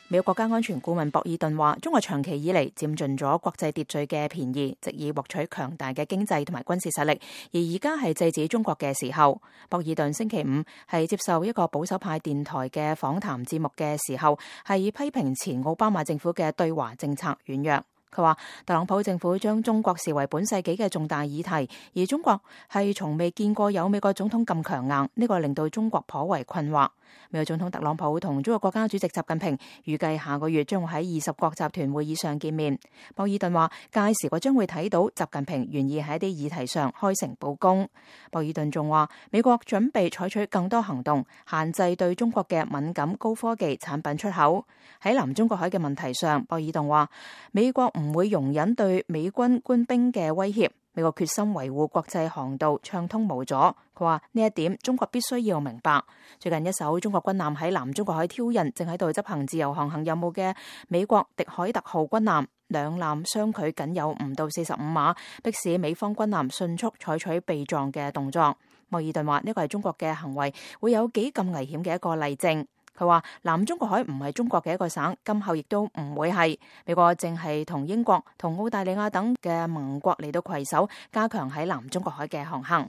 美國國家安全顧問博爾頓話，中國長期以嚟佔盡咗國際秩序嘅便宜，藉以獲取強大嘅經濟同埋軍事實力，而而家係制止中國嘅時候。博爾頓星期五係接受一個保守派電台嘅訪談節目嘅時候，係批評前奧巴馬政府嘅對華政策軟弱。佢話特朗普政府將中國視為本世紀嘅重大議題，而中國係從未見過有美國總統咁強硬，呢個令到中國頗為困惑。美國總統特朗普同中國國家主席習近平預計下個月將會喺20國集團會議上見面。博爾頓話屆時我將會睇到習近平願意喺一啲議題上開誠佈公。博爾頓仲話美國準備採取更多行動，限制對中國嘅敏感高科技產品出口。喺南中國海嘅問題上，博爾頓話美國唔會容忍對美軍官兵嘅威脅，美國決心維護國際航道暢通無阻。佢話呢一點中國必須要明白。最近一艘中國軍艦喺南中國海挑釁正喺度執行自由航行任務嘅美國迪海特號軍艦，兩艦相距僅有唔到45碼，迫使美方軍艦迅速採取避撞嘅動作。博爾頓話呢個係中國嘅行為會有幾咁危險嘅一個例證。佢話南中國海唔係中國嘅一個省，今後亦都唔會係。美國正係同英國、同澳大利亞等嘅盟國嚟到攜手，加強喺南中國海嘅航行。